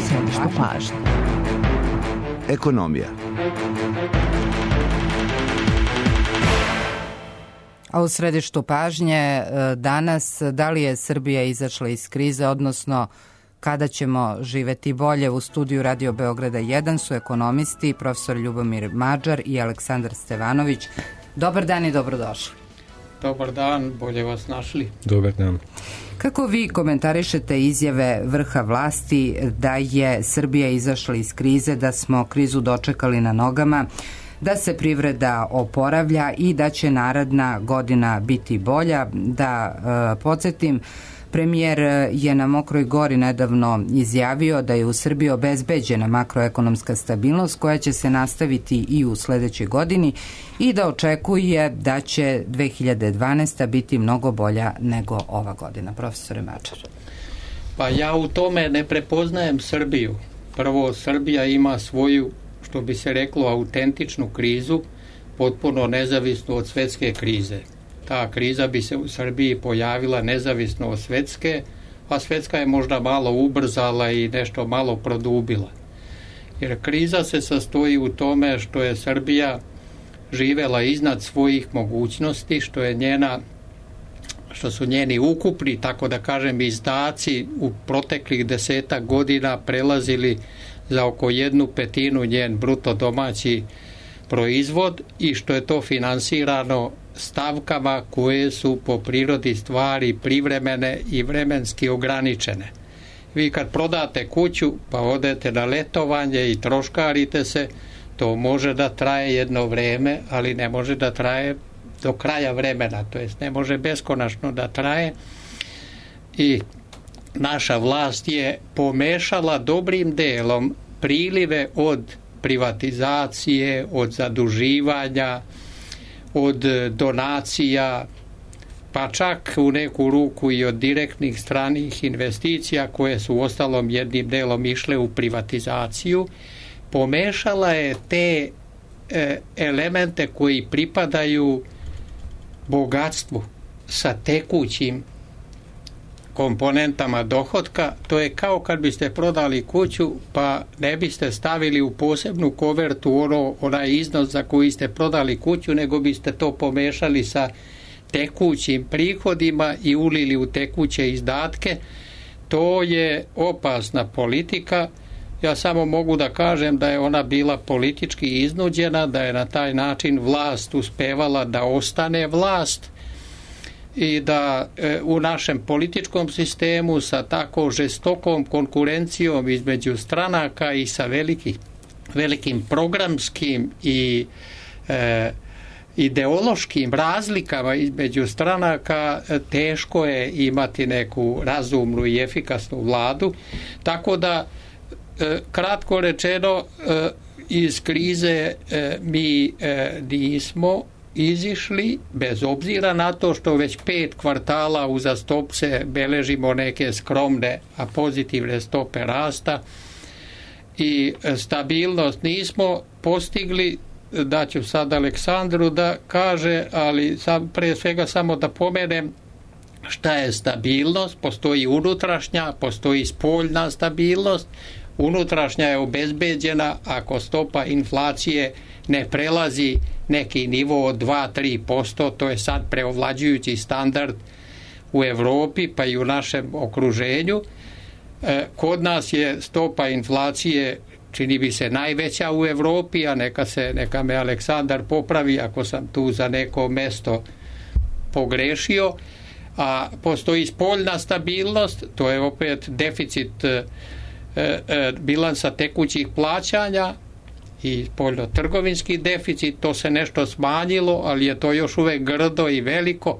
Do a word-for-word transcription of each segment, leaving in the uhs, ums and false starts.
središtu pažnje. Ekonomija. A u središtu pažnje danas, da li je Srbija izašla iz krize, odnosno kada ćemo živeti bolje? U studiju Radio Beograda jedan su ekonomisti, profesor Ljubomir Mađar i Aleksandar Stevanović. Dobar dan i dobrodošli. Dobar dan, bolje vas našli. Dobar dan. Kako vi komentarišete izjave vrha vlasti da je Srbija izašla iz krize, da smo krizu dočekali na nogama, da se privreda oporavlja i da će naredna godina biti bolja? Da e, podsjetim, premijer je na Mokroj Gori nedavno izjavio da je u Srbiji obezbeđena makroekonomska stabilnost koja će se nastaviti i u sledećoj godini i da očekuje da će dve hiljade dvanaesta. biti mnogo bolja nego ova godina. Profesore Mađar. Pa ja u tome ne prepoznajem Srbiju. Prvo, Srbija ima svoju, što bi se reklo, autentičnu krizu, potpuno nezavisnu od svetske krize. Ta kriza bi se u Srbiji pojavila nezavisno od svetske, a svetska je možda malo ubrzala i nešto malo produbila. Jer kriza se sastoji u tome što je Srbija živela iznad svojih mogućnosti, što je njena, što su njeni ukupni, tako da kažem, izdaci u proteklih desetak godina prelazili za oko jednu petinu njen bruto domaći proizvod i što je to finansirano stavkama koje su po prirodi stvari privremene i vremenski ograničene. Vi kad prodate kuću pa odete na letovanje i troškarite se, to može da traje jedno vreme, ali ne može da traje do kraja vremena, to jest ne može beskonačno da traje. I naša vlast je pomešala dobrim delom prilive od privatizacije, od zaduživanja, od donacija, pa čak u neku ruku i od direktnih stranih investicija koje su ostalom jednim delom išle u privatizaciju. Pomešala je te e, elemente koji pripadaju bogatstvu sa tekućim komponentama dohotka. To je kao kad biste prodali kuću pa ne biste stavili u posebnu kovertu ono, onaj iznos za koji ste prodali kuću, nego biste to pomešali sa tekućim prihodima i ulili u tekuće izdatke. To je opasna politika. Ja samo mogu da kažem da je ona bila politički iznuđena, da je na taj način vlast uspevala da ostane vlast i da e, u našem političkom sistemu sa tako žestokom konkurencijom između stranaka i sa veliki, velikim programskim i e, ideološkim razlikama između stranaka teško je imati neku razumnu i efikasnu vladu. Tako da, e, kratko rečeno, e, iz krize e, mi e, nismo izišli, bez obzira na to što već pet kvartala uzastopce beležimo neke skromne, a pozitivne stope rasta i stabilnost nismo postigli. Daću sad Aleksandru da kaže, ali sam, pre svega samo da pomenem šta je stabilnost. Postoji unutrašnja, postoji spoljna stabilnost. Unutrašnja je obezbeđena ako stopa inflacije ne prelazi neki nivo od dva do tri posto, to je sad preovlađujući standard u Evropi pa i u našem okruženju. E, kod nas je stopa inflacije, čini bi se, najveća u Evropi, a neka, se, neka me Aleksandar popravi ako sam tu za neko mesto pogrešio. A postoji spoljna stabilnost, to je opet deficit e, e, bilansa tekućih plaćanja i spoljno-trgovinski deficit, to se nešto smanjilo, ali je to još uvek grdo i veliko,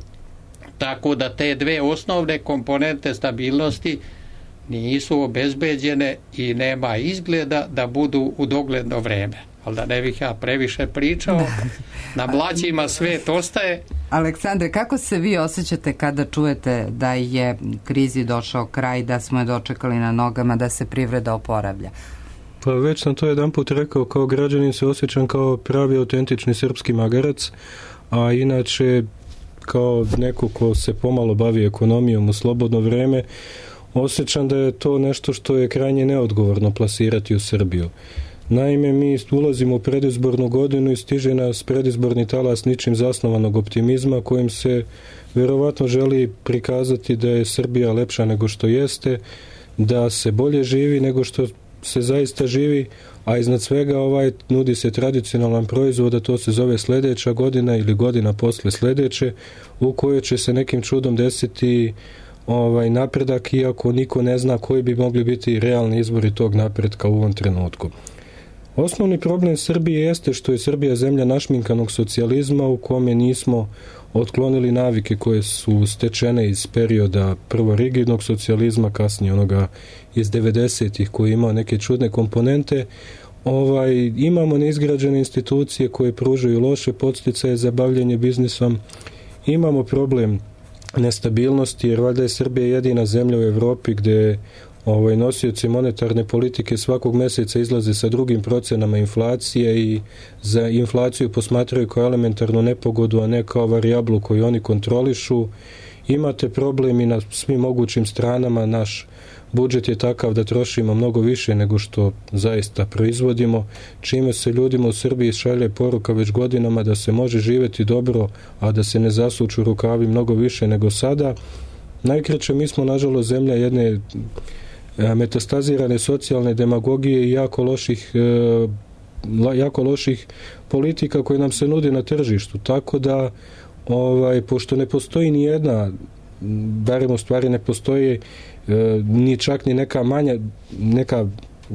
tako da te dve osnovne komponente stabilnosti nisu obezbeđene i nema izgleda da budu u dogledno vreme. Ali da ne bih ja previše pričao, na mlađima svet ostaje. Aleksandre, kako se vi osjećate kada čujete da je krizi došao kraj, da smo je dočekali na nogama, da se privreda oporavlja? Pa već sam to jedan put rekao, kao građanin se osjećam kao pravi autentični srpski magarac, a inače kao neko ko se pomalo bavi ekonomijom u slobodno vreme, osjećam da je to nešto što je krajnje neodgovorno plasirati u Srbiju. Naime, mi ulazimo u predizbornu godinu i stiže nas predizborni talas ničim zasnovanog optimizma kojim se verovatno želi prikazati da je Srbija lepša nego što jeste, da se bolje živi nego što se zaista živi, a iznad svega ovaj nudi se tradicionalan proizvod, a to se zove sledeća godina ili godina posle sledeće, u kojoj će se nekim čudom desiti ovaj napredak, iako niko ne zna koji bi mogli biti realni izbori tog napredka u ovom trenutku. Osnovni problem Srbije jeste što je Srbija zemlja našminkanog socijalizma u kome nismo otklonili navike koje su stečene iz perioda prvo rigidnog socijalizma, kasnije onoga iz devedesetih koji imao neke čudne komponente. Ovaj, imamo neizgrađene institucije koje pružaju loše podsticaje za bavljenje biznisom. Imamo problem nestabilnosti, jer valjda je Srbija jedina zemlja u Evropi gde ovaj, nosioci monetarne politike svakog meseca izlaze sa drugim procenama inflacije i za inflaciju posmatraju kao elementarnu nepogodu, a ne kao varijablu koju oni kontrolišu. Imate problem i na svim mogućim stranama. Naš budžet je takav da trošimo mnogo više nego što zaista proizvodimo, čime se ljudima u Srbiji šalje poruka već godinama da se može živeti dobro, a da se ne zasuču rukavi mnogo više nego sada. Najkraće, mi smo nažalost zemlja jedne metastazirane socijalne demagogije i jako loših, jako loših politika koje nam se nude na tržištu. Tako da, ovaj, pošto ne postoji ni jedna, barem u stvari ne postoji ni čak ni neka manja, neka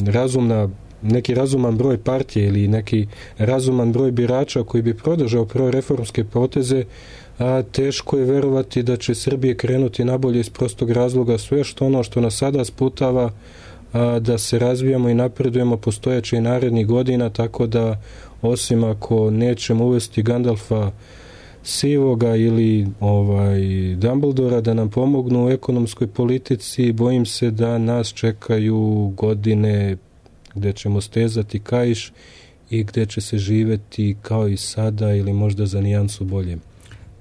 razumna, neki razuman broj partije ili neki razuman broj birača koji bi podržao proreformske poteze, a teško je verovati da će Srbije krenuti nabolje iz prostog razloga. Sve što ono što nas sada sputava a, da se razvijamo i napredujemo postojeće i narednih godina, tako da osim ako nećemo uvesti Gandalfa Sivoga ili ovaj Dumbledora da nam pomognu u ekonomskoj politici, bojim se da nas čekaju godine gde ćemo stezati kaiš i gde će se živeti kao i sada ili možda za nijansu bolje.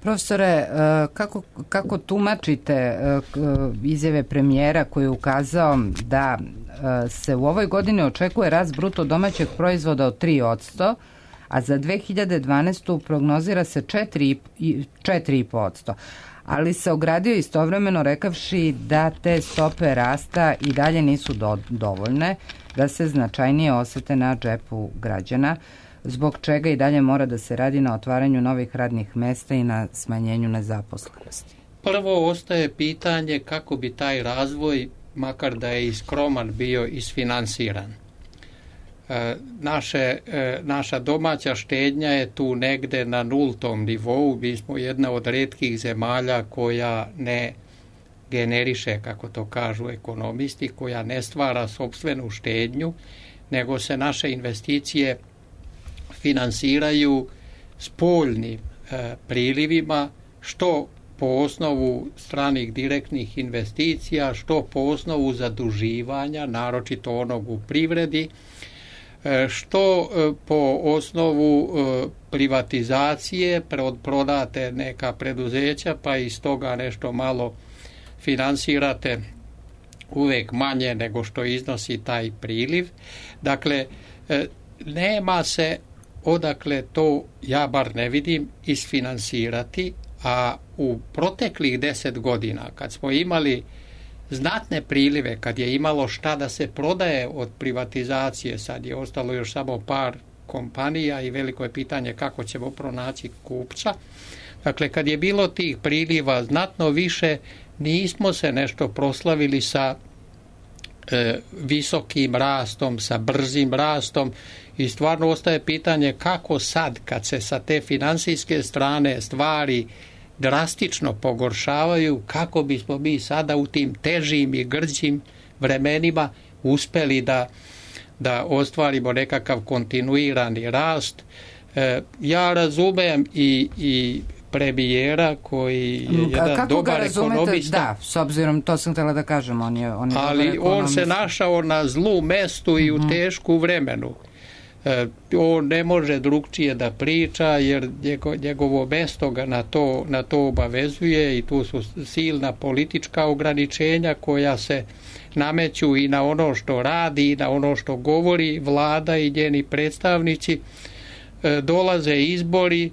Profesore, kako, kako tumačite izjave premijera koji je ukazao da se u ovoj godini očekuje rast bruto domaćeg proizvoda od tri posto, a za dve hiljade dvanaestu prognozira se četiri i po posto, ali se ogradio istovremeno rekavši da te stope rasta i dalje nisu do, dovoljne, da se značajnije osete na džepu građana, zbog čega i dalje mora da se radi na otvaranju novih radnih mesta i na smanjenju nezaposlenosti. Prvo ostaje pitanje kako bi taj razvoj, makar da je i skroman, bio isfinansiran. E, naše, e, naša domaća štednja je tu negde na nultom nivou. Mi smo jedna od retkih zemalja koja ne generiše, kako to kažu ekonomisti, koja ne stvara sopstvenu štednju, nego se naše investicije finansiraju spoljnim e, prilivima, što po osnovu stranih direktnih investicija, što po osnovu zaduživanja, naročito onog u privredi, e, što e, po osnovu e, privatizacije, prodate neka preduzeća, pa iz toga nešto malo finansirate, uvek manje nego što iznosi taj priliv. Dakle, e, nema se odakle to, ja bar ne vidim, isfinansirati, a u proteklih deset godina, kad smo imali znatne prilive, kad je imalo šta da se prodaje od privatizacije, sad je ostalo još samo par kompanija i veliko je pitanje kako ćemo pronaći kupca. Dakle, kad je bilo tih priliva znatno više, nismo se nešto proslavili sa e, visokim rastom, sa brzim rastom, i stvarno ostaje pitanje kako sad, kad se sa te finansijske strane stvari drastično pogoršavaju, kako bismo mi sada u tim težim i grđim vremenima uspeli da, da ostvarimo nekakav kontinuirani rast. E, ja razumem i, i premijera koji je jedan Kako dobar ga razumete? ekonomista. Da, s obzirom, to sam htjela da kažem, on je, on je ali dobar ekonomista. On se našao na zlu mestu i u tešku vremenu. on ne može drugčije da priča jer njegovo mesto ga na to, na to obavezuje i tu su silna politička ograničenja koja se nameću i na ono što radi i na ono što govori vlada i njeni predstavnici. Dolaze izbori,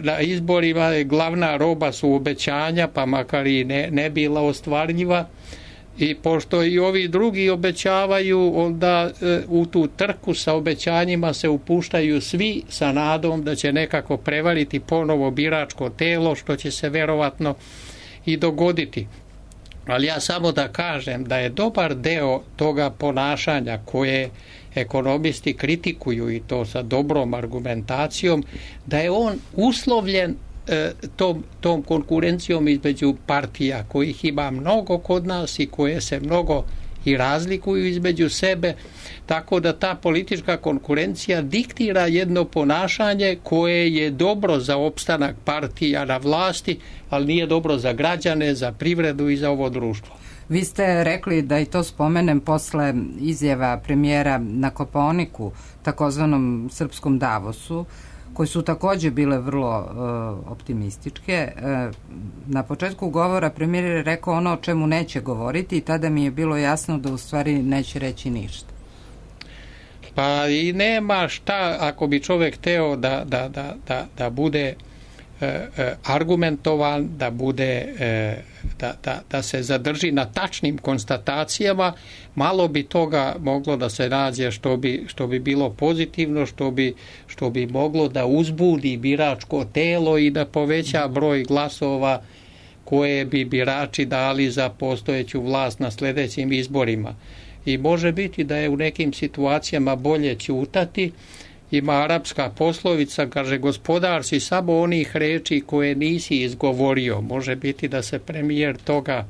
na izborima je glavna roba su obećanja, pa makar i ne, ne bila ostvarljiva. I pošto i ovi drugi obećavaju, onda e, u tu trku sa obećanjima se upuštaju svi sa nadom da će nekako prevariti ponovo biračko telo, što će se verovatno i dogoditi. Ali ja samo da kažem da je dobar deo toga ponašanja koje ekonomisti kritikuju i to sa dobrom argumentacijom, da je on uslovljen Tom, tom konkurencijom između partija kojih ima mnogo kod nas i koje se mnogo i razlikuju između sebe, tako da ta politička konkurencija diktira jedno ponašanje koje je dobro za opstanak partija na vlasti, ali nije dobro za građane, za privredu i za ovo društvo. Vi ste rekli da i to spomenem posle izjava premijera na Kopaoniku, takozvanom srpskom Davosu, koje su takođe bile vrlo uh, optimističke. Uh, na početku govora premijer je rekao ono o čemu neće govoriti i tada mi je bilo jasno da u stvari neće reći ništa. Pa i nema šta, ako bi čovjek hteo da, da, da, da, da bude uh, uh, argumentovan, da bude uh, da, da, da se zadrži na tačnim konstatacijama, malo bi toga moglo da se nađe što bi, što bi bilo pozitivno, što bi, što bi moglo da uzbudi biračko telo i da poveća broj glasova koje bi birači dali za postojeću vlast na sljedećim izborima. I može biti da je u nekim situacijama bolje ćutati. Ima arapska poslovica, kaže, gospodar si samo onih reči koje nisi izgovorio. Može biti da se premijer toga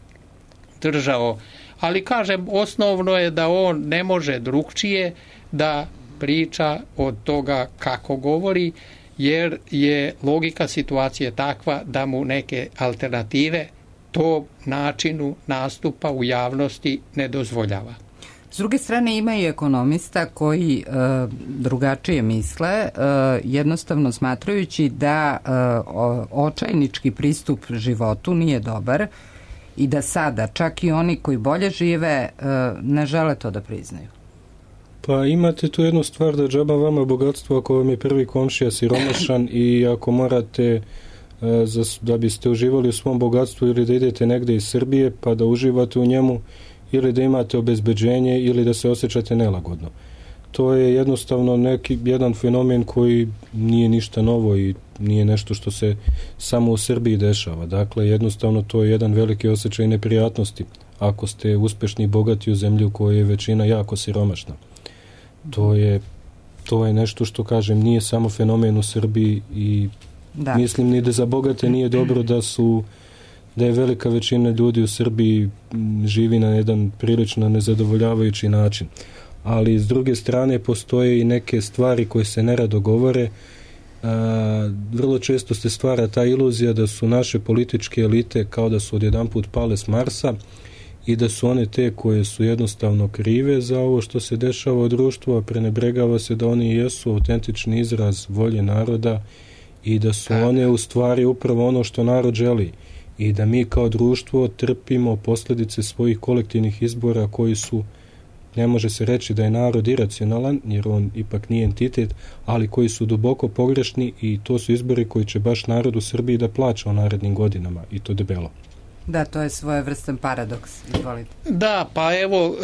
držao. Ali, kažem, osnovno je da on ne može drugčije da priča od toga kako govori, jer je logika situacije takva da mu neke alternative tom načinu nastupa u javnosti ne dozvoljava. S druge strane ima i ekonomista koji e, drugačije misle, e, jednostavno smatrajući da e, očajnički pristup životu nije dobar i da sada čak i oni koji bolje žive e, ne žele to da priznaju. Pa imate tu jednu stvar da džaba vama bogatstvo ako vam je prvi komšija siromašan i ako morate e, za, da biste uživali u svom bogatstvu ili da idete negde iz Srbije pa da uživate u njemu, ili da imate obezbeđenje ili da se osjećate nelagodno. To je jednostavno neki, jedan fenomen koji nije ništa novo i nije nešto što se samo u Srbiji dešava. Dakle, jednostavno to je jedan veliki osjećaj neprijatnosti ako ste uspešni i bogati u zemlji u kojoj je većina jako siromašna. To je, to je nešto što, kažem, nije samo fenomen u Srbiji i da. Mislim ni da za bogate nije dobro da su da je velika većina ljudi u Srbiji živi na jedan prilično nezadovoljavajući način. Ali s druge strane postoje i neke stvari koje se nerado govore. A, vrlo često se stvara ta iluzija da su naše političke elite kao da su odjedanput pale s Marsa i da su one te koje su jednostavno krive za ovo što se dešava u društvu, a prenebregava se da oni jesu autentični izraz volje naroda i da su one u stvari upravo ono što narod želi. I da mi kao društvo trpimo posljedice svojih kolektivnih izbora koji su, ne može se reći da je narod iracionalan, jer on ipak nije entitet, ali koji su duboko pogrešni i to su izbori koji će baš narod u Srbiji da plaća u narednim godinama i to debelo. Da, to je svojevrstan paradoks. Izvolite. Da, pa evo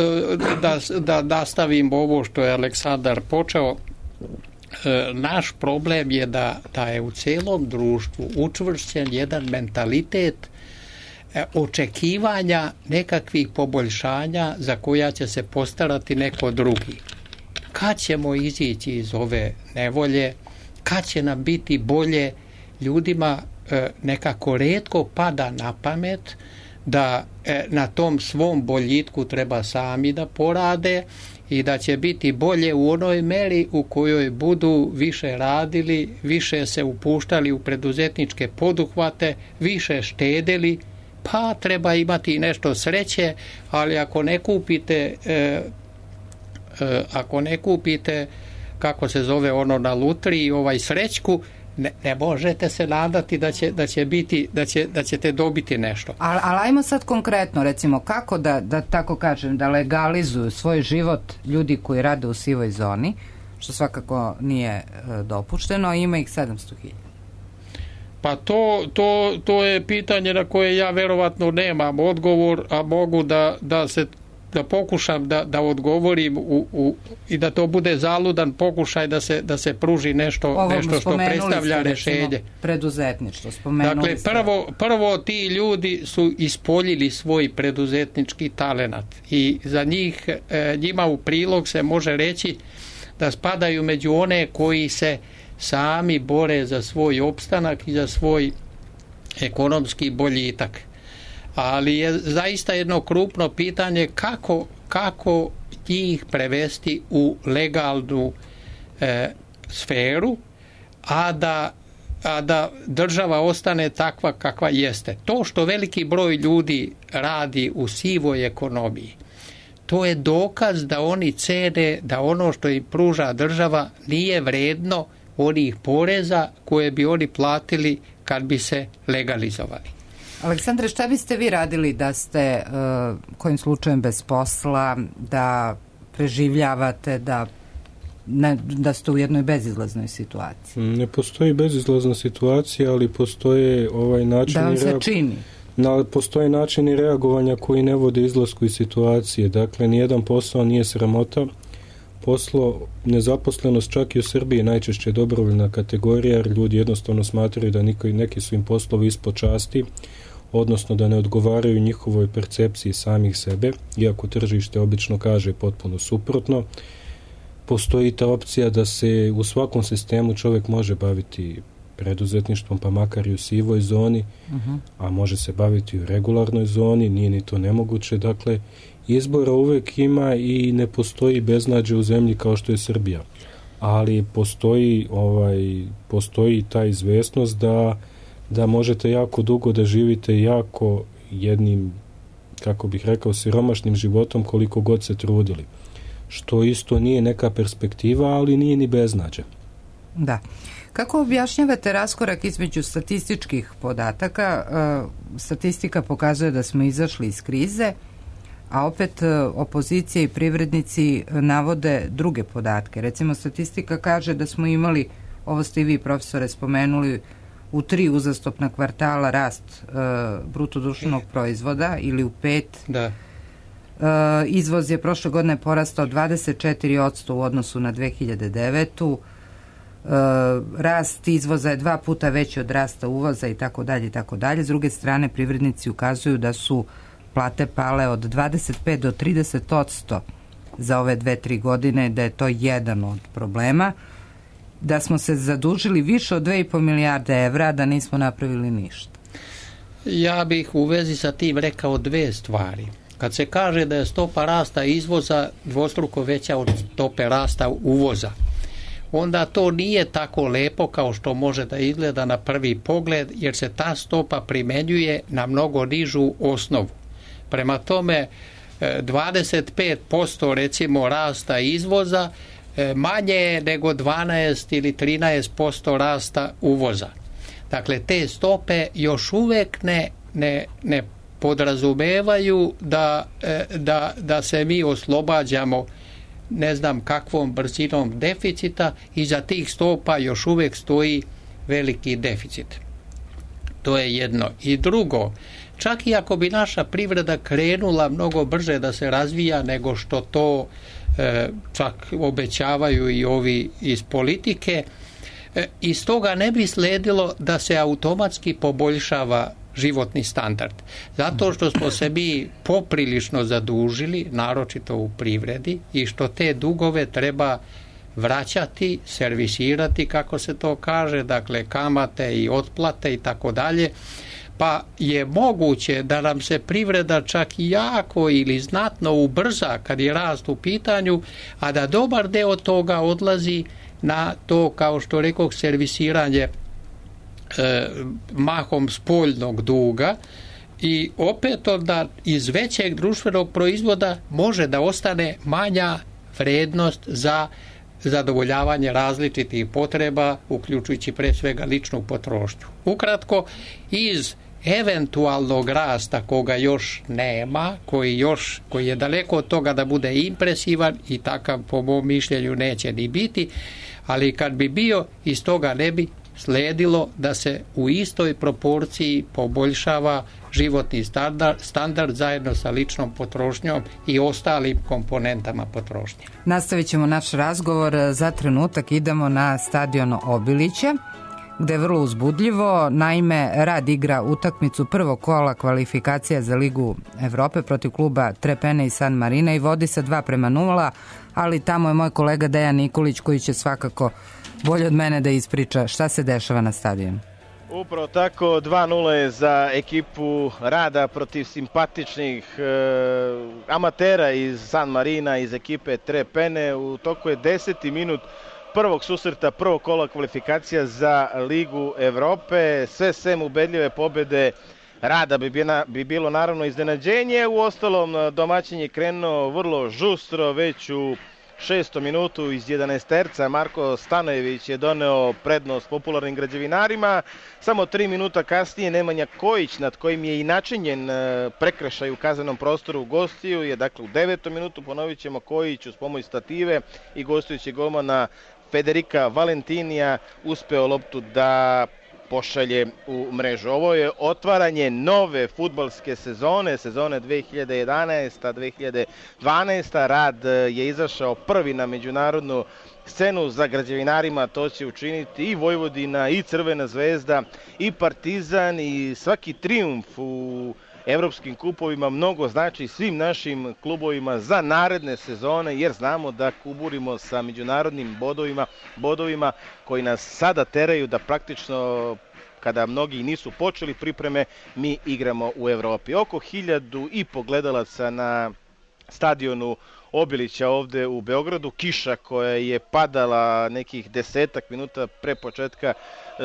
da, da nastavim ovo što je Aleksandar počeo. Naš problem je da, da je u celom društvu učvršćen jedan mentalitet očekivanja nekakvih poboljšanja za koja će se postarati neko drugi. Kad ćemo izići iz ove nevolje, kad će nam biti bolje, ljudima nekako retko pada na pamet da na tom svom boljitku treba sami da porade i da će biti bolje u onoj meri u kojoj budu više radili, više se upuštali u preduzetničke poduhvate, više štedeli, pa treba imati nešto sreće, ali ako ne kupite e, e, ako ne kupite kako se zove ono na lutriji, ovaj srećku, ne, ne možete se nadati da će, da će biti, da, će, da ćete dobiti nešto. Ali al ajmo sad konkretno, recimo, kako da, da tako kažem, da legalizuju svoj život ljudi koji rade u sivoj zoni, što svakako nije e, dopušteno, ima ih sedamsto hiljada. Pa to, to, to je pitanje na koje ja verovatno nemam odgovor, a mogu da, da se da pokušam da, da odgovorim u, u, i da to bude zaludan pokušaj da se, da se pruži nešto, Ovo, nešto što predstavlja ste, rješenje. Recimo, preduzetništvo, spomenuli dakle, ste. prvo, prvo ti ljudi su ispoljili svoj preduzetnički talenat i za njih, njima u prilog se može reći da spadaju među one koji se sami bore za svoj opstanak i za svoj ekonomski boljitak. Ali je zaista jedno krupno pitanje kako, kako njih prevesti u legalnu e, sferu, a da, a da država ostane takva kakva jeste. To što veliki broj ljudi radi u sivoj ekonomiji, to je dokaz da oni cene da ono što im pruža država nije vredno onih poreza koje bi oni platili kad bi se legalizovali. Aleksandre, šta biste vi radili da ste uh, kojim slučajem bez posla, da preživljavate, da, ne, da ste u jednoj bezizlaznoj situaciji? Ne postoji bezizlazna situacija, ali postoje ovaj način... Da vam se reag... čini? Na, postoje načini reagovanja koji ne vode izlasku iz situacije. Dakle, nijedan posao nije sramota. Poslo, nezaposlenost čak i u Srbiji najčešće je dobrovoljna kategorija, jer ljudi jednostavno smatraju da niko, neki su im poslovi ispod časti, odnosno da ne odgovaraju njihovoj percepciji samih sebe, iako tržište obično kaže potpuno suprotno. Postoji ta opcija da se u svakom sistemu čovjek može baviti preduzetništvom, pa makar i u sivoj zoni, uh-huh. a može se baviti u regularnoj zoni, nije ni to nemoguće. Dakle, izbora uvek ima i ne postoji beznađe u zemlji kao što je Srbija. Ali postoji, ovaj, postoji ta izvesnost da, da možete jako dugo da živite jako jednim, kako bih rekao, siromašnim životom koliko god se trudili. Što isto nije neka perspektiva, ali nije ni beznađe. Da. Kako objašnjavate raskorak između statističkih podataka? Statistika pokazuje da smo izašli iz krize, a opet opozicija i privrednici navode druge podatke. Recimo, statistika kaže da smo imali, ovo ste i vi, profesore, spomenuli, u tri uzastopna kvartala rast uh, brutodruštvenog proizvoda ili u pet. Da. Uh, izvoz je prošle godine porastao dvadeset četiri posto u odnosu na dve hiljade devetu. Uh, rast izvoza je dva puta veći od rasta uvoza i tako dalje i tako dalje. S druge strane, privrednici ukazuju da su plate pale od dvadeset pet do trideset posto za ove dve, tri godine, da je to jedan od problema, da smo se zadužili više od dve i po milijarde evra, da nismo napravili ništa. Ja bih u vezi sa tim rekao dve stvari. Kad se kaže da je stopa rasta izvoza dvostruko veća od stope rasta uvoza, onda to nije tako lepo kao što može da izgleda na prvi pogled, jer se ta stopa primenjuje na mnogo nižu osnovu. Prema tome, dvadeset pet posto recimo rasta izvoza manje je nego dvanaest ili trinaest posto rasta uvoza. Dakle, te stope još uvek ne, ne, ne podrazumevaju da, da, da se mi oslobađamo ne znam kakvom brzinom deficita, i za tih stopa još uvek stoji veliki deficit. To je jedno. I drugo, čak i ako bi naša privreda krenula mnogo brže da se razvija nego što to e, čak obećavaju i ovi iz politike, e, iz toga ne bi sledilo da se automatski poboljšava životni standard. Zato što smo se mi poprilično zadužili, naročito u privredi, i što te dugove treba vraćati, servisirati, kako se to kaže, dakle kamate i otplate i tako dalje, pa je moguće da nam se privreda čak i jako ili znatno ubrza kad je rast u pitanju, a da dobar deo toga odlazi na to, kao što rekoh, servisiranje e, mahom spoljnog duga, i opet onda iz većeg društvenog proizvoda može da ostane manja vrednost za zadovoljavanje različitih potreba, uključujući pre svega ličnu potrošnju. Ukratko, iz eventualnog rasta koga još nema, koji, još, koji je daleko od toga da bude impresivan i takav po mom mišljenju neće ni biti, ali kad bi bio, iz toga ne bi sledilo da se u istoj proporciji poboljšava životni standard, standard zajedno sa ličnom potrošnjom i ostalim komponentama potrošnje. Nastavit ćemo naš razgovor. Za trenutak idemo na stadion Obilića, gde je vrlo uzbudljivo. Naime, Rad igra utakmicu prvog kola kvalifikacija za Ligu Evrope protiv kluba Trepene i San Marina i vodi sa dva prema nula, ali tamo je moj kolega Dejan Nikolić koji će svakako bolje od mene da ispriča šta se dešava na stadionu. Upravo tako, dva nula je za ekipu Rada protiv simpatičnih e, amatera iz San Marina, iz ekipe Trepene. U toku je deseti minut prvog susreta, prvog kola kvalifikacija za Ligu Evrope. Sve sem ubedljive pobede Rada bi, bila, bi bilo naravno iznenađenje. U ostalom, domaćin je krenuo vrlo žustro, već u šestom minutu iz jedanaesterca Marko Stanojević je doneo prednost popularnim građevinarima. Samo tri minuta kasnije Nemanja Kojić, nad kojim je i načinjen prekršaj u kaznenom prostoru gostiju, je dakle u devetom minutu, ponovit ćemo, Kojić uz pomoć stative i gostujući golmana Federika Valentinija uspeo loptu da pošalje u mrežu. Ovo je otvaranje nove fudbalske sezone, sezone dve hiljade jedanaesta dve hiljade dvanaesta. Rad je izašao prvi na međunarodnu scenu, za građevinarima to će učiniti i Vojvodina, i Crvena zvezda, i Partizan, i svaki trijumf u evropskim kupovima mnogo znači svim našim klubovima za naredne sezone, jer znamo da kuburimo sa međunarodnim bodovima, bodovima koji nas sada teraju da praktično, kada mnogi nisu počeli pripreme, mi igramo u Evropi. Oko hiljadu i po gledalaca na stadionu Obilića ovde u Beogradu. Kiša koja je padala nekih desetak minuta pre početka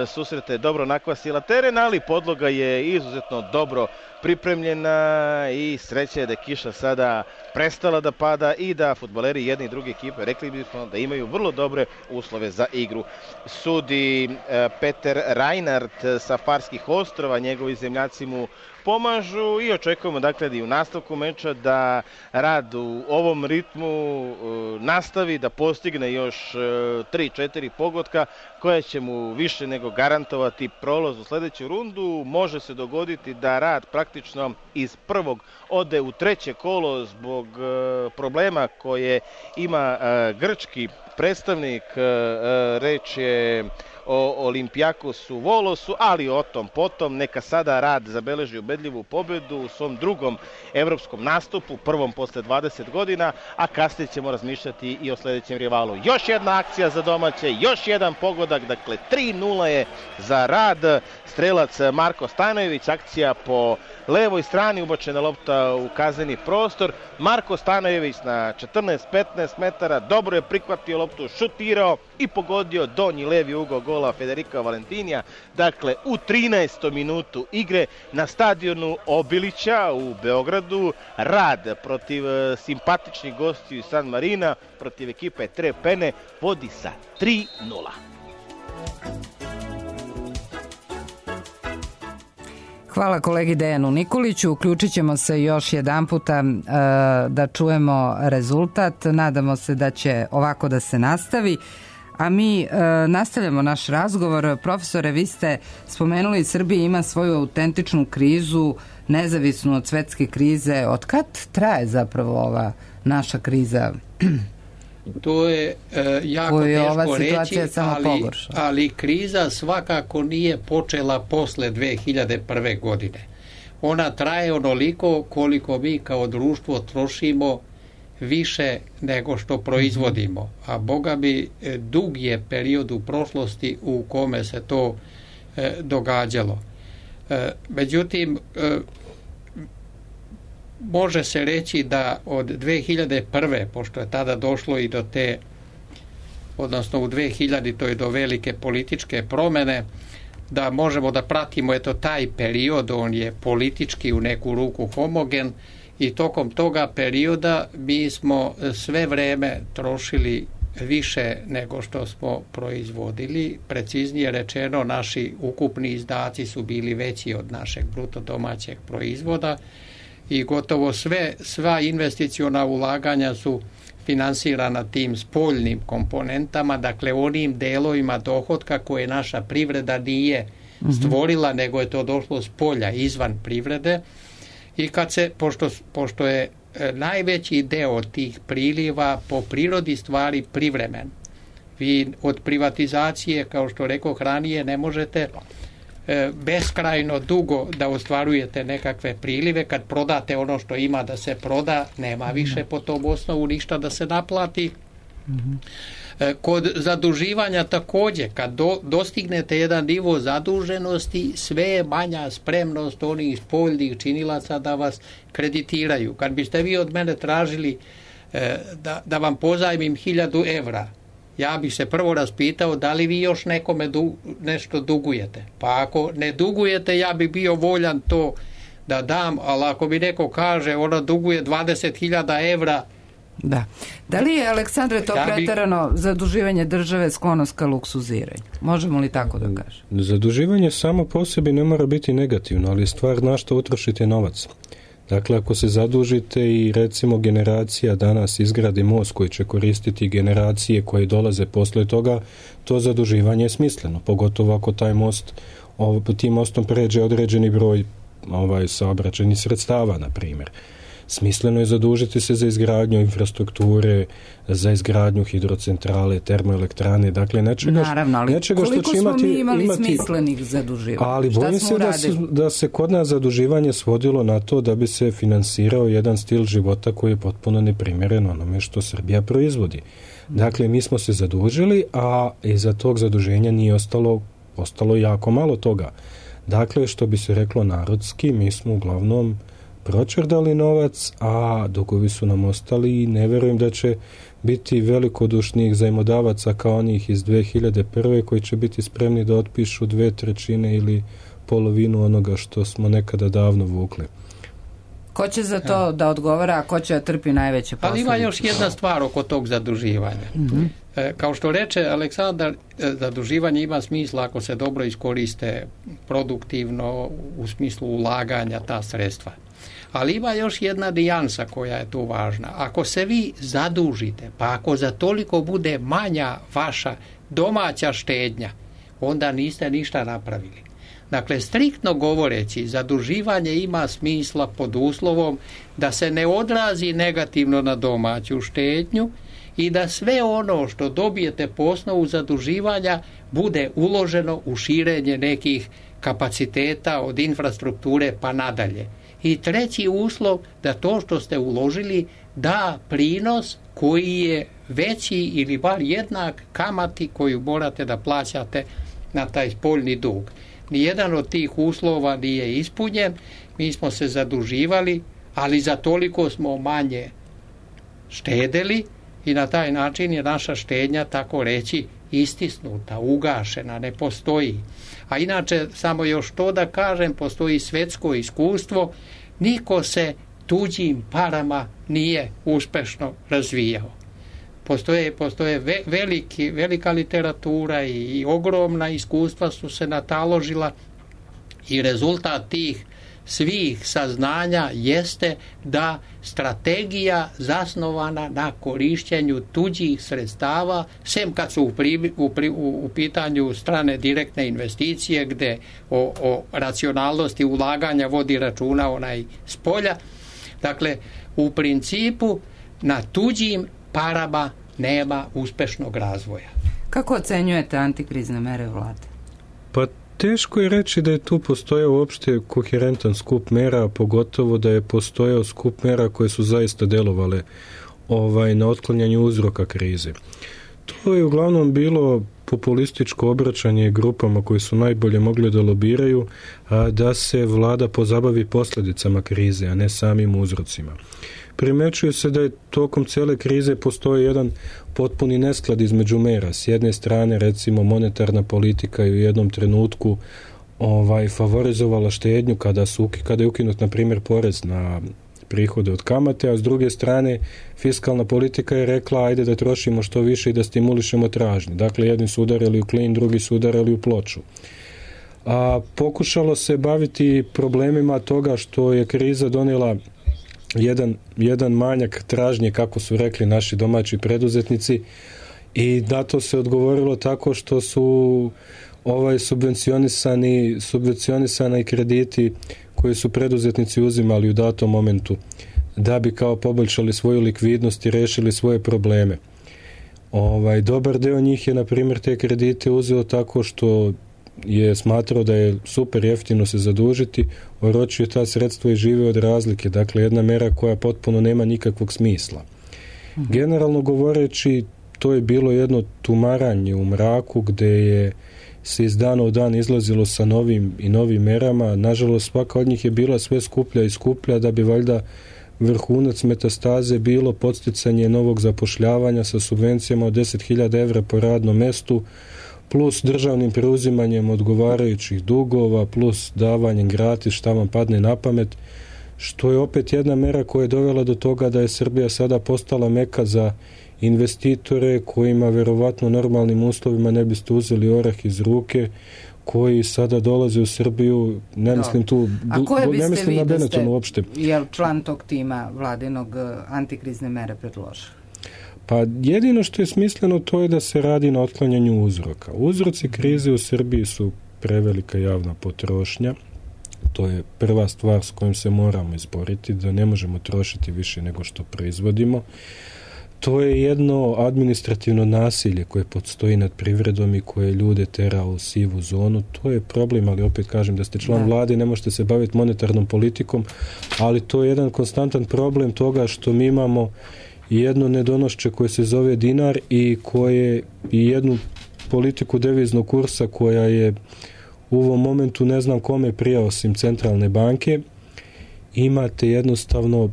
susreta je dobro nakvasila teren, ali podloga je izuzetno dobro pripremljena i sreća je da je kiša sada prestala da pada i da fudbaleri jedne i druge ekipe, rekli bismo da imaju vrlo dobre uslove za igru. Sudi Peter Reinhardt sa Farskih ostrva, njegovi zemljaci mu pomažu i očekujemo dakle da i u nastavku meča da Rad u ovom ritmu nastavi, da postigne još tri četiri pogotka koja će mu više nego garantovati prolaz u sledeću rundu. Može se dogoditi da Rad praktično iz prvog ode u treće kolo zbog problema koje ima grčki predstavnik, reč je o Olimpijakosu Volosu, ali o tom potom. Neka sada Rad zabeleži ubedljivu pobedu u svom drugom evropskom nastupu, prvom posle dvadeset godina, a kasnije ćemo razmišljati i o sledećem rivalu. Još jedna akcija za domaće, još jedan pogodak, dakle tri nula je za Rad. Strelac Marko Stanojević, akcija po levoj strani, ubačena lopta u kazneni prostor. Marko Stanojević na četrnaest petnaest metara, dobro je prihvatio loptu, šutirao i pogodio donji levi ugao gola Federika Valentinija. Dakle, u trinaestom minutu igre na stadionu Obilića u Beogradu, Rad protiv simpatičnih gostiju iz San Marina, protiv ekipe Trepene, vodi sa tri nula. Hvala kolegi Dejanu Nikoliću. Uključit ćemo se još jedan puta e, da čujemo rezultat. Nadamo se da će ovako da se nastavi. A mi e, nastavljamo naš razgovor. Profesore, vi ste spomenuli Srbija ima svoju autentičnu krizu, nezavisnu od svetske krize. Od kad traje zapravo ova naša kriza? To je e, jako je teško reći, ali, pogorša. ali kriza svakako nije počela posle dve hiljade prve. godine. Ona traje onoliko koliko mi kao društvo trošimo više nego što proizvodimo, a boga bi dug je period u prošlosti u kome se to e, događalo. E, međutim, e, može se reći da od dve hiljade prve. pošto je tada došlo i do te, odnosno u dve hiljaditoj do velike političke promene, da možemo da pratimo eto taj period, on je politički u neku ruku homogen i tokom toga perioda mi smo sve vreme trošili više nego što smo proizvodili. Preciznije rečeno, naši ukupni izdaci su bili veći od našeg bruto domaćeg proizvoda i gotovo sve, sva investiciona ulaganja su finansirana tim spoljnim komponentama, dakle onim delovima dohotka koje naša privreda nije stvorila, nego je to došlo s polja, izvan privrede. I kad se, pošto, pošto je najveći deo tih priliva po prirodi stvari privremen, vi od privatizacije, kao što rekoh ranije, ne možete e, beskrajno dugo da ostvarujete nekakve prilive. Kad prodate ono što ima da se proda, nema više po tom osnovu ništa da se naplati. E, kod zaduživanja također, kad do, dostignete jedan nivo zaduženosti, sve je manja spremnost onih spoljnih činilaca da vas kreditiraju. Kad biste vi od mene tražili e, da, da vam pozajmim hiljadu evra, ja bih se prvo raspitao da li vi još nekome du, nešto dugujete. Pa ako ne dugujete, ja bih bio voljan to da dam, ali ako mi neko kaže ona duguje dvadeset hiljada evra, da. Da li je, Aleksandre, to ja bi... preterano zaduživanje države sklonost ka luksuziranju? Možemo li tako da kažem? Zaduživanje samo po sebi ne mora biti negativno, ali je stvar na što utrošite novac. Dakle, ako se zadužite i recimo generacija danas izgradi most koji će koristiti generacije koje dolaze posle toga, to zaduživanje je smisleno, pogotovo ako taj most, tim mostom pređe određeni broj ovaj, saobraćajnih sredstava, na primjer. Smisleno je zadužiti se za izgradnju infrastrukture, za izgradnju hidrocentrale, termoelektrane, dakle nečega, Naravno, ali nečega što koliko će imati... smo mi imali imati, smislenih zaduživanja? Ali bojim se da se, da se kod nas zaduživanje svodilo na to da bi se finansirao jedan stil života koji je potpuno neprimjeren onome što Srbija proizvodi. Dakle, mi smo se zadužili, a iza tog zaduženja nije ostalo, ostalo jako malo toga. Dakle, što bi se reklo narodski, mi smo uglavnom pročerdali novac, a dugovi su nam ostali i ne verujem da će biti velikodušnih zajmodavaca kao onih iz dve hiljade prve koji će biti spremni da otpišu dve trećine ili polovinu onoga što smo nekada davno vukli. Ko će za to ja. da odgovara, a ko će da trpi najveće posljedice? Ali ima još jedna stvar oko tog zaduživanja. Mm-hmm. E, kao što reče Aleksandar, zaduživanje ima smisla ako se dobro iskoriste produktivno u smislu ulaganja ta sredstva. Ali ima još jedna nijansa koja je tu važna. Ako se vi zadužite, pa ako za toliko bude manja vaša domaća štednja, onda niste ništa napravili. Dakle, striktno govoreći, zaduživanje ima smisla pod uslovom da se ne odrazi negativno na domaću štednju i da sve ono što dobijete po osnovu zaduživanja bude uloženo u širenje nekih kapaciteta od infrastrukture pa nadalje. I treći uslov da to što ste uložili da prinos koji je veći ili bar jednak kamati koju morate da plaćate na taj spoljni dug. Nijedan od tih uslova nije ispunjen, mi smo se zaduživali, ali za toliko smo manje štedeli i na taj način je naša štednja, tako reći, istisnuta, ugašena, ne postoji. A inače, samo još to da kažem, postoji svetsko iskustvo, niko se tuđim parama nije uspešno razvijao. Postoje, postoje ve, veliki, velika literatura i, i ogromna iskustva su se nataložila i rezultat tih svih saznanja jeste da strategija zasnovana na korišćenju tuđih sredstava, sem kad su u, pri, u, pri, u, u pitanju strane direktne investicije gde o, o racionalnosti ulaganja vodi računa onaj s polja. Dakle, u principu na tuđim parama nema uspešnog razvoja. Kako ocenjujete antikrizne mere vlade? Pa teško je reći da je tu postojao uopšte koherentan skup mera, pogotovo da je postojao skup mera koje su zaista delovale ovaj, na otklanjanju uzroka krize. To je uglavnom bilo populističko obraćanje grupama koji su najbolje mogli da lobiraju, a da se vlada pozabavi posljedicama krize, a ne samim uzrocima. Primećuje se da je tokom cele krize postoji jedan potpuni nesklad između mera. S jedne strane, recimo, monetarna politika je u jednom trenutku ovaj, favorizovala štednju kada, su, kada je ukinut, na primjer, porez na prihode od kamate, a s druge strane fiskalna politika je rekla ajde da trošimo što više i da stimulišemo tražnju. Dakle, jedni su udarili u klin, drugi su udarili u ploču. A pokušalo se baviti problemima toga što je kriza donijela jedan, jedan manjak tražnje, kako su rekli naši domaći preduzetnici, i na to se odgovorilo tako što su ovaj subvencionisani, subvencionisani krediti koje su preduzetnici uzimali u datom momentu da bi kao poboljšali svoju likvidnost i rešili svoje probleme. Ovaj, dobar deo njih je, na primjer, te kredite uzeo tako što je smatrao da je super jeftino se zadužiti, oročio ta sredstva i žive od razlike. Dakle, jedna mera koja potpuno nema nikakvog smisla. Mhm. Generalno govoreći, to je bilo jedno tumaranje u mraku gde je se iz dana u dan izlazilo sa novim i novim merama. Nažalost, svaka od njih je bila sve skuplja i skuplja da bi valjda vrhunac metastaze bilo podsticanje novog zapošljavanja sa subvencijama od deset hiljada evra po radnom mestu, plus državnim preuzimanjem odgovarajućih dugova, plus davanjem gratis šta vam padne na pamet, što je opet jedna mera koja je dovela do toga da je Srbija sada postala meka za investitore kojima verovatno normalnim uslovima ne biste uzeli orah iz ruke, koji sada dolaze u Srbiju, ne mislim tu, ne mislim na Benetton uopšte. Je li član tog tima vladinog antikrizne mere predložio? Pa jedino što je smisleno to je da se radi na otklanjanju uzroka. Uzroci krize u Srbiji su prevelika javna potrošnja. To je prva stvar s kojom se moramo izboriti, da ne možemo trošiti više nego što proizvodimo. To je jedno administrativno nasilje koje postoji nad privredom i koje ljude tera u sivu zonu. To je problem, ali opet kažem da ste član vlade, ne možete se baviti monetarnom politikom, ali to je jedan konstantan problem toga što mi imamo jedno nedonošće koje se zove dinar i koje i jednu politiku deviznog kursa koja je u ovom momentu ne znam kome prija osim centralne banke. Imate jednostavno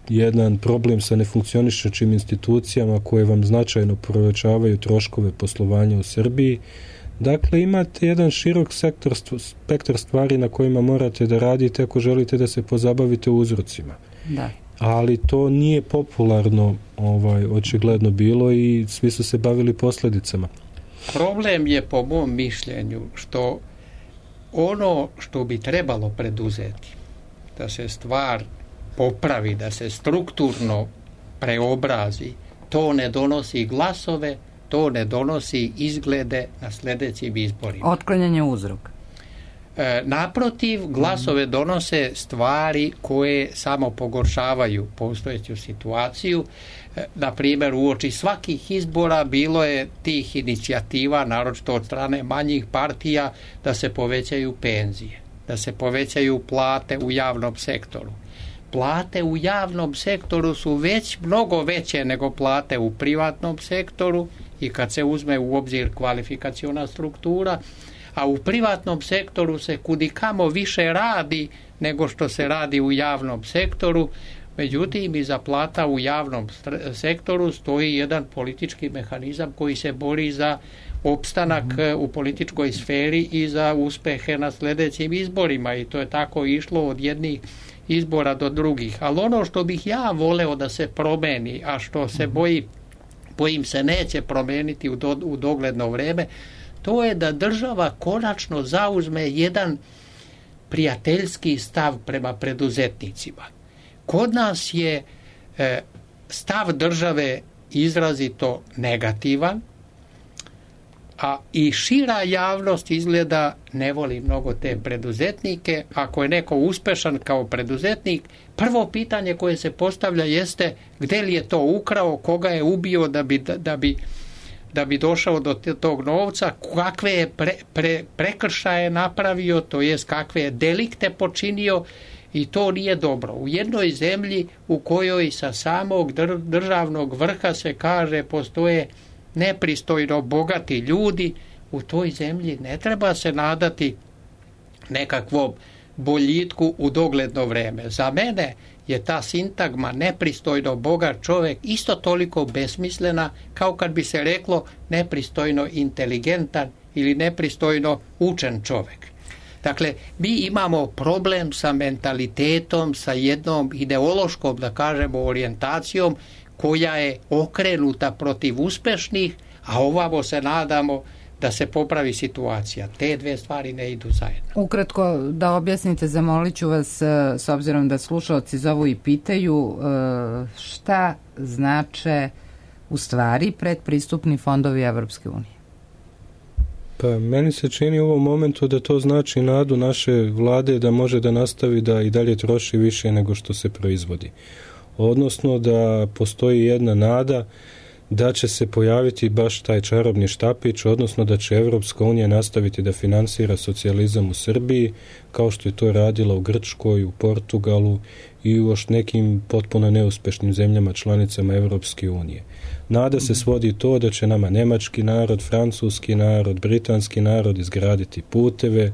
jedan problem sa nefunkcionišućim institucijama koje vam značajno povećavaju troškove poslovanja u Srbiji. Dakle, imate jedan širok sektor, spektar stvari na kojima morate da radite ako želite da se pozabavite uzrocima. Da. Ali to nije popularno ovaj, očigledno bilo i svi su se bavili posljedicama. Problem je po mom mišljenju što ono što bi trebalo preduzeti da se stvar popravi, da se strukturno preobrazi, to ne donosi glasove, to ne donosi izglede na sljedećim izborima. Otklanjanje uzroka. E, naprotiv, glasove donose stvari koje samo pogoršavaju postojeću situaciju. E, na primjer, uoči svakih izbora bilo je tih inicijativa, naročito od strane manjih partija, da se povećaju penzije, da se povećaju plate u javnom sektoru. Plate u javnom sektoru su već mnogo veće nego plate u privatnom sektoru i kad se uzme u obzir kvalifikaciona struktura, a u privatnom sektoru se kudikamo više radi nego što se radi u javnom sektoru. Međutim, iza plata u javnom sektoru stoji jedan politički mehanizam koji se bori za opstanak mm-hmm. u političkoj sferi i za uspehe na sljedećim izborima i to je tako išlo od jednih izbora do drugih. Ali ono što bih ja voleo da se promeni, a što se boji, bojim se neće promeniti u, do, u dogledno vreme, to je da država konačno zauzme jedan prijateljski stav prema preduzetnicima. Kod nas je e, stav države izrazito negativan, a i šira javnost izgleda ne voli mnogo te preduzetnike. Ako je neko uspešan kao preduzetnik, prvo pitanje koje se postavlja jeste gdje li je to ukrao, koga je ubio da bi, da bi, da bi došao do tog novca, kakve je pre, pre, prekršaje napravio, to jest kakve je delikte počinio i to nije dobro. U jednoj zemlji u kojoj sa samog državnog vrha se kaže postoje nepristojno bogati ljudi, u toj zemlji ne treba se nadati nekakvom boljitku u dogledno vreme. Za mene je ta sintagma nepristojno bogat čovjek isto toliko besmislena kao kad bi se reklo nepristojno inteligentan ili nepristojno učen čovjek. Dakle, mi imamo problem sa mentalitetom, sa jednom ideološkom, da kažemo, orijentacijom koja je okrenuta protiv uspešnih, a ovamo se nadamo da se popravi situacija. Te dve stvari ne idu zajedno. Ukratko da objasnite, zamolit ću vas, s obzirom da slušalci zovu i pitaju, šta znače u stvari predpristupni fondovi Evropske unije? Pa meni se čini u ovom momentu da to znači nadu naše vlade da može da nastavi da i dalje troši više nego što se proizvodi. Odnosno da postoji jedna nada da će se pojaviti baš taj čarobni štapić, odnosno da će Evropska unija nastaviti da finansira socijalizam u Srbiji, kao što je to radila u Grčkoj, u Portugalu i u još nekim potpuno neuspešnim zemljama članicama Evropske unije. Nada se svodi to da će nama nemački narod, francuski narod, britanski narod izgraditi puteve,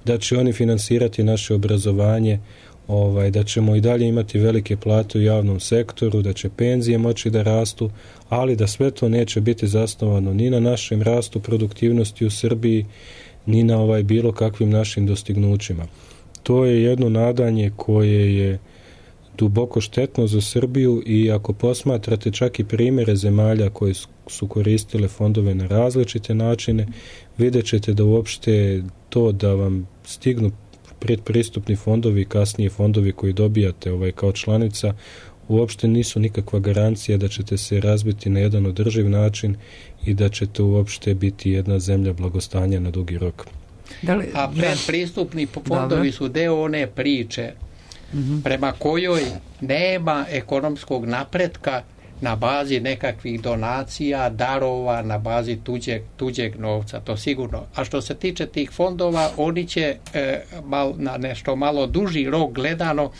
da će oni finansirati naše obrazovanje, ovaj, da ćemo i dalje imati velike plate u javnom sektoru, da će penzije moći da rastu, ali da sve to neće biti zasnovano ni na našem rastu produktivnosti u Srbiji, ni na ovaj bilo kakvim našim dostignućima. To je jedno nadanje koje je duboko štetno za Srbiju i ako posmatrate čak i primjere zemalja koje su koristile fondove na različite načine, vidjet ćete da uopšte to da vam stignu predpristupni fondovi i kasnije fondovi koji dobijate ovaj, kao članica, uopšte nisu nikakva garancija da ćete se razbiti na jedan održiv način i da ćete uopšte biti jedna zemlja blagostanja na dugi rok. Da li, A predpristupni fondovi Dobre. su deo one priče mm-hmm. prema kojoj nema ekonomskog napretka na bazi nekakvih donacija, darova, na bazi tuđeg, tuđeg novca, to sigurno. A što se tiče tih fondova, oni će e, mal, na nešto malo duži rok gledano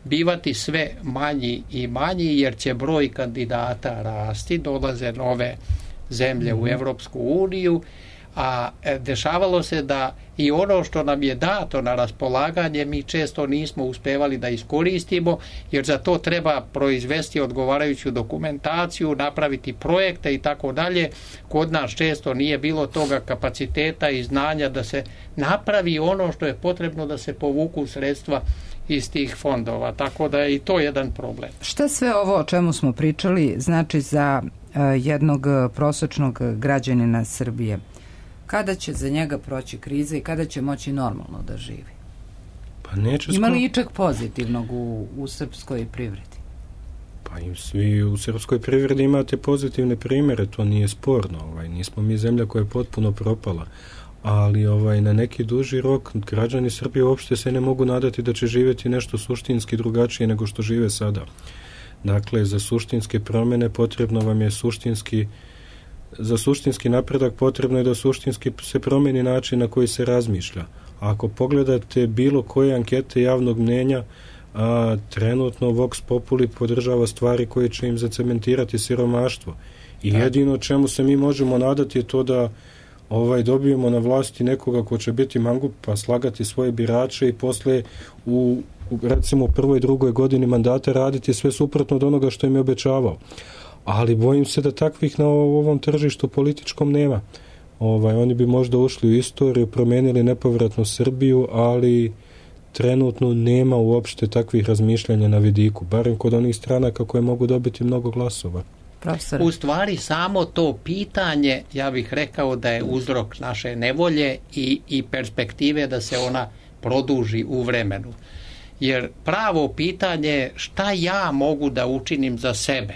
bivati sve manji i manji, jer će broj kandidata rasti, dolaze nove zemlje mm-hmm. u Evropsku uniju, a dešavalo se da i ono što nam je dato na raspolaganje mi često nismo uspevali da iskoristimo, jer za to treba proizvesti odgovarajuću dokumentaciju, napraviti projekte i tako dalje. Kod nas često nije bilo toga kapaciteta i znanja da se napravi ono što je potrebno da se povuku sredstva iz tih fondova, tako da je i to jedan problem. Šta sve ovo o čemu smo pričali znači za uh, jednog prosečnog građanina Srbije? Kada će za njega proći kriza i kada će moći normalno da živi? Pa neće Ima li ičeg pozitivnog u, u srpskoj privredi? Pa i svi u srpskoj privredi imate pozitivne primjere, to nije sporno. Ovaj, nismo mi zemlja koja je potpuno propala. Ali ovaj, na neki duži rok građani Srbije uopšte se ne mogu nadati da će živjeti nešto suštinski drugačije nego što žive sada. Dakle, za suštinske promjene potrebno vam je suštinski Za suštinski napredak potrebno je da suštinski se promijeni način na koji se razmišlja. A ako pogledate bilo koje ankete javnog mnjenja, a, trenutno Vox Populi podržava stvari koje će im zacementirati siromaštvo. I da. jedino čemu se mi možemo nadati je to da ovaj, dobijemo na vlasti nekoga ko će biti mangup pa slagati svoje birače i posle u, u recimo prvoj i drugoj godini mandata raditi sve suprotno od onoga što im je obećavao. Ali bojim se da takvih na ovom tržištu političkom nema. Ovaj, oni bi možda ušli u istoriju, promenili nepovratno Srbiju, ali trenutno nema uopšte takvih razmišljanja na vidiku, barem kod onih stranaka koje mogu dobiti mnogo glasova. Profesor. U stvari samo to pitanje, ja bih rekao da je uzrok naše nevolje i, i perspektive da se ona produži u vremenu. Jer pravo pitanje je šta ja mogu da učinim za sebe?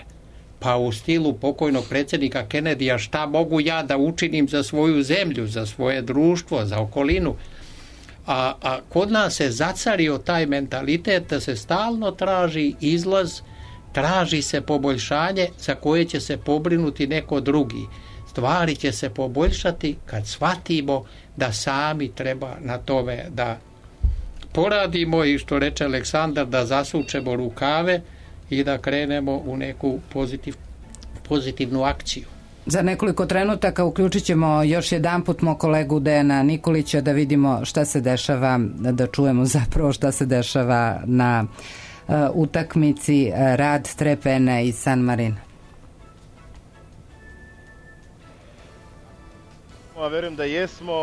Pa u stilu pokojnog predsjednika Kennedyja, šta mogu ja da učinim za svoju zemlju, za svoje društvo, za okolinu. A, a kod nas se zacario taj mentalitet da se stalno traži izlaz, traži se poboljšanje za koje će se pobrinuti neko drugi. Stvari će se poboljšati kad shvatimo da sami treba na tome da poradimo i što reče Aleksandar, da zasučemo rukave i da krenemo u neku pozitiv, pozitivnu akciju. Za nekoliko trenutaka uključit ćemo još jedan put moj kolegu Dejana Nikolića da vidimo šta se dešava, da čujemo zapravo šta se dešava na uh, utakmici Rad Trepene i San Marina. Ja verujem da jesmo.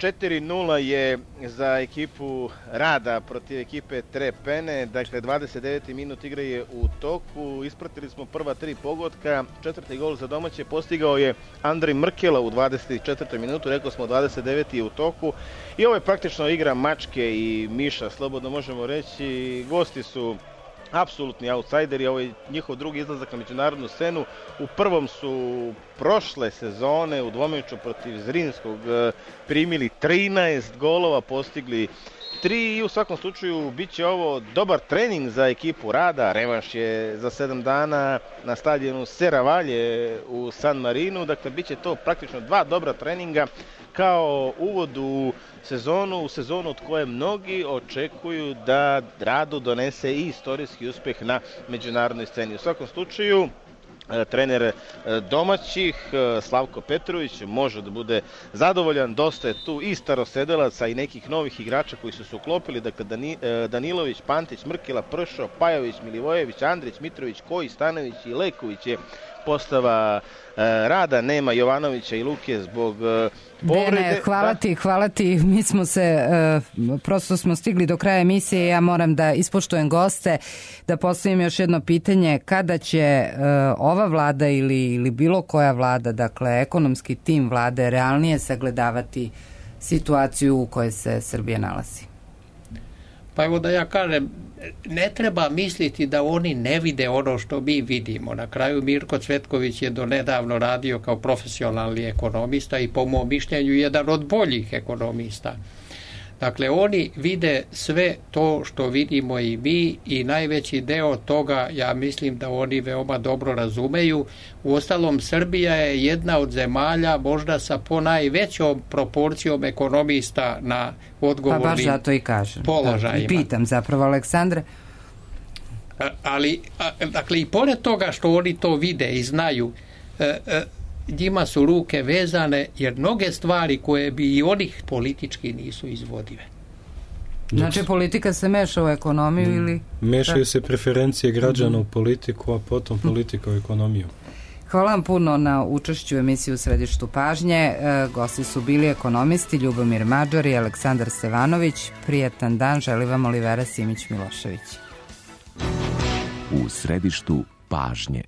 četiri nula je za ekipu Rada protiv ekipe Trepene, dakle dvadeset deveti minut igre je u toku, ispratili smo prva tri pogotka, četvrti gol za domaće postigao je Andrej Mrkela u dvadeset četvrtoj minutu, rekao smo dvadeset deveti je u toku i ovo je praktično igra mačke i miša, slobodno možemo reći, gosti su apsolutni outsideri, ovo je njihov drugi izlazak na međunarodnu scenu. U prvom su prošle sezone u dvomeču protiv Zrinskog primili trinaest golova, postigli tri i u svakom slučaju bit će ovo dobar trening za ekipu Rada. Revanš je za sedam dana na stadionu Seravalje u San Marinu, dakle bit će to praktično dva dobra treninga kao uvod u sezonu, u sezonu od koje mnogi očekuju da Radu donese i istorijski uspeh na međunarodnoj sceni. U svakom slučaju, trener domaćih Slavko Petrović može da bude zadovoljan, dosta je tu i starosedelaca i nekih novih igrača koji su se uklopili, dakle Danilović, Pantić, Mrkela, Pršo, Pajović, Milivojević, Andrić, Mitrović, Koji, Stanović i Leković je postava Rada, nema Jovanovića i Luke zbog povrede. Dene, hvala ti, hvala ti. Mi smo se, prosto smo stigli do kraja emisije, ja moram da ispoštujem goste, da postavim još jedno pitanje, kada će ova vlada ili, ili bilo koja vlada, dakle ekonomski tim vlade, realnije sagledavati situaciju u kojoj se Srbija nalazi? Pa evo da ja kažem, ne treba misliti da oni ne vide ono što mi vidimo. Na kraju Mirko Cvetković je donedavno radio kao profesionalni ekonomista i po mom mišljenju jedan od boljih ekonomista. Dakle, oni vide sve to što vidimo i mi i najveći deo toga, ja mislim da oni veoma dobro razumeju. Uostalom, Srbija je jedna od zemalja možda sa ponajvećom proporcijom ekonomista na odgovornim pa baš zato i kažem. Položajima. Da, i pitam zapravo Aleksandra. Ali, a, dakle, i pored toga što oni to vide i znaju, e, e, njima su ruke vezane, jer mnoge stvari koje bi i onih politički nisu izvodive. Znači politika se meša u ekonomiju mm. ili... Mešaju se preferencije građana u politiku, a potom politika u ekonomiju. Hvala vam puno na učešću u emisiji U središtu pažnje. E, gosti su bili ekonomisti Ljubomir Mađar i Aleksandar Stevanović. Prijetan dan, želi vam Olivera Simić-Milošević. U središtu pažnje.